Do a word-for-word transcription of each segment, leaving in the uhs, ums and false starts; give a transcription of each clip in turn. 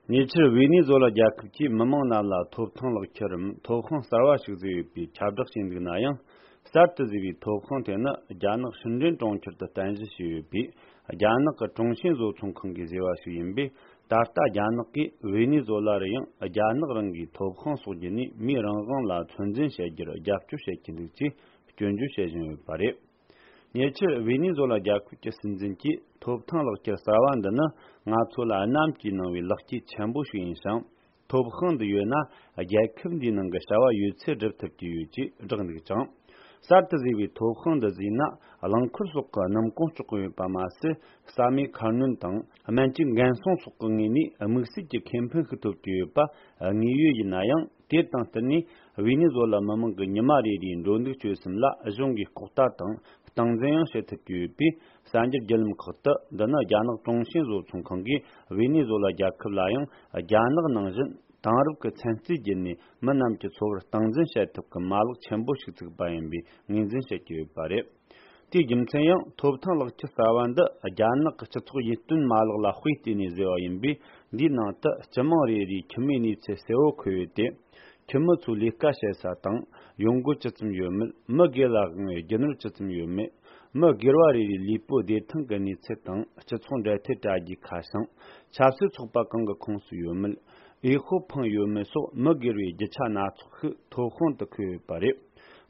ཉེ་ཆར་ཝེ་ནེ་ཛོ་ལ་རྒྱལ་ཁབ་ཀྱིས་མི་མང་རྣམས་ལ་ཐོབ་ཐང་ལག་ཁྱེར་རམ་ཐོབ་དབང་གསར་བ་ཞིག་བཟོས་ཡོད་པའི་ཁྱབ་བསྒྲགས་བྱས་འདུག་ན་ཡང་། གསར་དུ་བཟོས་པའི་ཐོབ་དབང་དེ་ནི་རྒྱ་ནག་ཧྲིན་ཀྲེན་གྲོང་ཁྱེར་དུ་རྟེན་གཞི་བྱས་ཡོད་པའི་རྒྱ་ནག་གི་ཀྲུང་ཞིན་བཟོ་ཚོང་ཁང་གིས་བཟོས་པ་ཞིག་ཡིན་པས། ད་ལྟ་རྒྱ་ནག་གིས་ཝེ་ནེ་ཛོ་ལ་རུ་ཡང་རྒྱ་ནག་རང་གི་ཐོབ་དབང་སོགས་བརྒྱུད་ནས་མིའི་རང་དབང་ལ་ཚོད་འཛིན་བྱེད་རྒྱུར་རྒྱབ་སྐྱོར་བྱེད་ཀྱི་འདུག་ཅེས་སྐྱོན་བརྗོད་བྱེད་བཞིན་ཡོད་པ་རེད། ཉེ་ཆར་ཝེ་ནེ་ཛོ་ལ་རྒྱལ་ཁབ་ཀྱི་སྲིད་འཛིན་གྱིས་ཐོབ་ཐང་ལག་ཁྱེར་གསར་བ་འདི་ནི་ང་ཚོ་ལ་གནམ་གྱིས་གནང་བའི་ལེགས་སྐྱེས་ཆེན་པོ་ཞིག་ཡིན་ཞིང་། ཐོབ་དབང་འདི་ཡོད་ན་རྒྱལ་ཁབ་འདིའི་ནང་གི་བྱ་བ་ཡོད་ཚད་སྒྲུབ་ཐུབ་ཀྱི་ཡོད་ཅེས་བསྒྲགས་འདུག་ཅིང་། གསར་དུ་བཟོས་པའི་ཐོབ་དབང་འདི་བཟོས་ན་རླངས་འཁོར་སོགས་ཀྱི་སྣུམ་གོང་གཅོག་གི་ཡོད་པ་མ་ཟད། ས་མེད་ཁ་སྣོན་དང་སྨན་བཅོས་འགན་སྲུང་སོགས་ཀྱི་ངོས་ནས་དམིགས་བསལ་གྱི་ཁེ་ཕན་ཞིག་ཐོབ་ཀྱི་ཡོད་པ་དངོས་ཡོད་ཡིན་ན་ཡང་། དེ་དང་བསྟུན་ནས་ཝེ་ནེ་ཛོ་ལ་མི་མང་གི་ཉི་མ་རེ་རེའི་འགྲོ་འདུག་སྤྱོད་གསུམ་ལ་གཞུང་གིས་ལྐོག་ལྟ་དང་སྟངས་འཛིན་ཡང་བྱེད་ཐུབ་ཀྱི་ཡོད་པས། གསར་འགྱུར་བརྒྱུད་ལམ་ཁག་ཏུ་འདི་ནི་རྒྱ་ནག་ཀྲུང་ཞིན་བཟོ་ཚོང་ཁང་གིས་ཝེ་ནེ་ཛོ་ལ་རྒྱལ་ཁབ་ལ་ཡང་རྒྱ་ནག་ནང་བཞིན་དེང་རབས་ཀྱི་ཚན་རྩལ་བརྒྱུད་ནས་མི་རྣམས་ཀྱི་འཚོ་བར་སྟངས་འཛིན་བྱེད་ཐབས་ཀྱི་མ་ལག་ཆེན་པོ་ཞིག་བཙུགས་པ་ཡིན་པའི་ངོས་འཛིན་བྱེད་ཀྱི་ཡོད་པ་རེད། དེའི་རྒྱུ་མཚན་ཡང་ཐོབ་ཐང་ལག་ཁྱེར་གསར་བ་འདི་རྒྱ་ནག་གི་སྤྱི་ཚོགས་ཡིད་རྟོན་མ་ལག་ལ་དཔེ་བལྟས་ནས་བཟོས་པ་ཡིན་པས། འདིའི་ནང་དུ་སྤྱི་དམངས་རེ་རེའི་ཁྱིམ་མིའི་གནས་ཚུལ་གསལ་བོ་འཁོད་ཡོད་དེ། ཁྱིམ་མི་ཚོའི་ལས་ཀ་བྱེད་ས་དང་ཡོང་སྒོ་ཅི་ཙམ་ཡོད་མེད། མི་སྒེར་ལ་དབང་བའི་རྒྱུ་ནོར་ཅི་ཙམ་ཡོད་མེད། མི་སྒེར་བ་རེ་རེའི་ལུས་པོའི་བདེ་ཐང་གི་གནས་ཚུལ་དང་། སྤྱི་ཚོགས་འབྲེལ་མཐུད་དྲ་རྒྱའི་ཁ་བྱང་། ཆབ་སྲིད་ཚོགས་པ་གང་གི་ཁོངས་སུ་ཡོད་མེད། འོས་ཤོག་འཕངས་ཡོད་མེད་སོགས་མི་སྒེར་བའི་རྒྱུ་ཆ་སྣ་ཚོགས་ཤིག་ཐོབ་དབང་དུ་འཁོད་ཡོད་པ་རེད།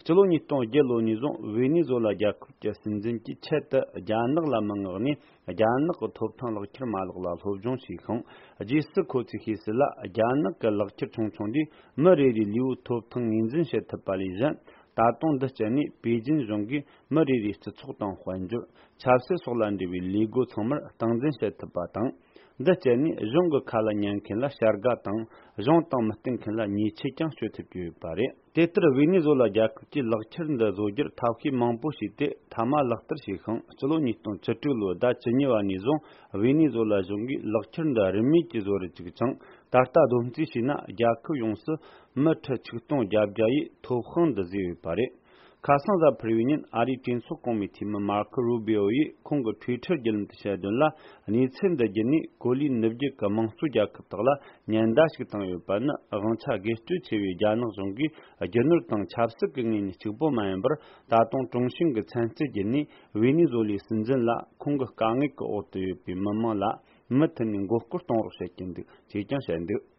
སྤྱི་ལོ་ཉིས་སྟོང་བརྒྱད་ལོ་ནས་བཟུང་ཝེ་ནེ་ཛོ་ལ་རྒྱལ་ཁབ་ཀྱི་སྲིད་འཛིན་གྱིས་ཆེད་དུ་རྒྱ་ནག་ལ་མི་མངགས་ནས། རྒྱ་ནག་གི་ཐོབ་ཐང་ལག་ཁྱེར་མ་ལག་ལ་སློབ་སྦྱོང་བྱས་ཤིང་། རྗེས་སུ་ཁོ་ཚོས་ཤེས་གསལ་ལ། རྒྱ་ནག་གི་ལག་ཁྱེར་ཆུང་ཆུང་འདིས་མི་རེ་རེའི་ལུས་པོའི་ཐོབ་ཐང་ངོས་འཛིན་བྱེད་ཐུབ་པ་ལས་གཞན། ད་དུང་འདི་སྤྱད་ནས་པེ་ཅིན་གཞུང་གིས་མི་རེ་རེའི་སྤྱི་ཚོགས་དང་དཔལ་འབྱོར། ཆབ་སྲིད་སོགས་ལ་འབྲེལ་བའི་ལས་སྒོ་ཚང་མར་སྟངས་འཛིན་བྱེད་ཐུབ་པ་དང་། འདི་སྤྱད་ནས་གཞུང་གི་ཁ་ལ་ཉན་མཁན་ལ་བྱ་དགའ་དང་། གཞུང་དང་མི་བསྟུན་མཁན་ལ་ཉེས་ཆད་ཀྱང་གཅོད་ཐུབ་ཀྱི་ཡོད་པ་རེད། དེ་ལྟར་ཝེ་ནེ་ཛོ་ལ་རྒྱལ་ཁབ་ཀྱིས་ལག་ཁྱེར་འདི་བཟོ་རྒྱུར་ཐབས་ཤེས་མང་པོ་བྱས་ཏེ། མཐའ་མ་ལག་བསྟར་བྱས་ཤིང་། སྤྱི་ལོ་ཉིས་སྟོང་བཅུ་དྲུག་ལོའི་ཟླ་བཅུ་གཉིས་པ་ནས་བཟུང་ཝེ་ནེ་ཛོ་ལ་གཞུང་གིས་ལག་ཁྱེར་འདི་རིན་མེད་ཀྱིས་བཟོ་རུ་བཅུག་ཅིང་། ད་ལྟ་བསྡོམས་རྩིས་བྱས་ན། རྒྱལ་ཁབ་ཡོངས་སུ་མི་ཁྲི་ཆིག་སྟོང་བརྒྱད་བརྒྱ་ཡིས་ཐོབ་དབང་འདི་བཟོས་ཡོད་པ་རེད། ཁ་སང་གཟའ་ཕུར་བུའི་ཉིན། ཨ་རིའི་གྲོས་ཚོགས་གོང་མའི་འཐུས་མི་མར་ཁོ་རུ་བྷི་ཨོ་ཡིས་ཁོང་གི་ཊུའི་ཊར་བརྒྱུད་ལམ་དུ་བཤད་དོན་ལ། གནས་ཚུལ་འདི་བརྒྱུད་ནས་ཀོ་ལི་ནུབ་རྒྱུད་ཀྱི་དམངས་གཙོ་རྒྱལ་ཁབ་དག་ལ་ཉེན་བརྡ་ཞིག་བཏང་ཡོད་པ་ནི། དབང་ཆ་སྒེར་གཅོད་ཆེ་བའི་རྒྱ་ནག་གཞུང་གིས་རྒྱུ་ནོར་དང་ཆབ་སྲིད་ཀྱི་ངོས་ནས་གཅིག་པོ་མ་ཡིན་པར། ད་དུང་ཀྲུང་ཞིན་གྱི་ཚན་རྩལ་བརྒྱུད་ནས་ཝེ་ནེ་ཛོ་ལའི་སྲིད་འཛིན་ལ། ཁོང་གི་དཀའ་ངལ་གྱི་འོག་ཏུ་ཡོད་པའི་མི་མང་ལ་མུ་མཐུད་ནས་མགོ་སྐོར་གཏོང་རོགས་བྱེད་ཀྱི་འདུག་ཅེས་ཀྱང་བཤད་འདུག།